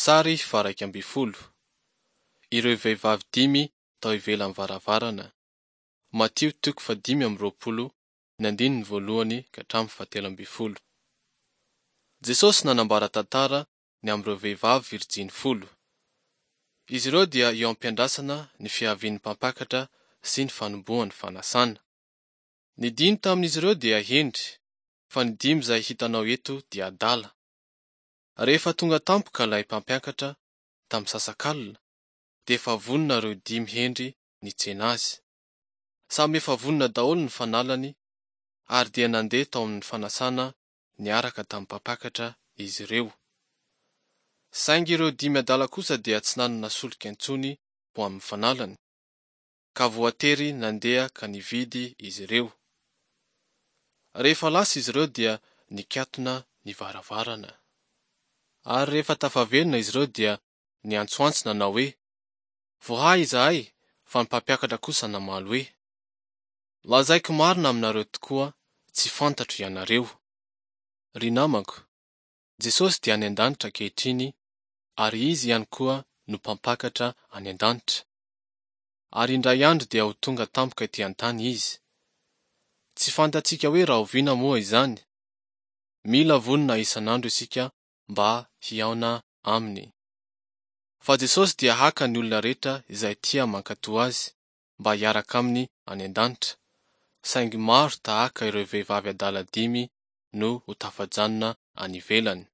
Sary faha-11. Ireo vehivavy dimy tao ivelan'ny varavarana. Matio toko faha-25, ny andininy voalohany ka hatramin'ny fahatelo ambin'ny folo. Jesosy nanambara tantara ny amin'ireo vehivavy virijiny folo. Izy ireo dia eo am-piandrasana ny fiavian'ny mpampakatra sy ny fanombohan'ny fanasana. Ny dimy tamin'izy ireo dia hendry, fa ny dimy izay hitanao eto dia adala. Rehefa tonga tampoka ilay mpampiakatra tamin'ny misasakalina, dia efa vonona ireo dimy hendry nitsena azy. Samy efa vonona daholo ny fanalany ary dia nandeha tao amin'ny fanasana niaraka tamin'ny mpampakatra izy ireo. Saingy ireo dimy adala kosa dia tsy nanana solika intsony ho amin'ny fanalany, ka voatery nandeha ka nividy izy ireo. Rehefa lasa izy ireo dia nikatona ny varavarana. Ary rehefa tafaverina izy ireo dia niantsoantso nanao hoe, Voahay izahay, fa ny mpampiakatra kosa namaly hoe, Lazaiko marina aminareo tokoa, tsy fantatro ianareo. Ry namako, Jesosy dia any an-danitra ankehitriny ary Izy ihany koa no mpampakatra any an-danitra. Ary indray andro dia ho tonga tampoka ety an-tany Izy. Tsy fantatsika hoe rahoviana moa izany. Mila vonona isan'andro isika mba hihaona Aminy. Fa Jesosy dia haka ny olona rehetra izay tia mankatò Azy mba hiaraka Aminy any an-danitra, saingy maro tahaka ireo vehivavy adala dimy no ho tafajanona any ivelany.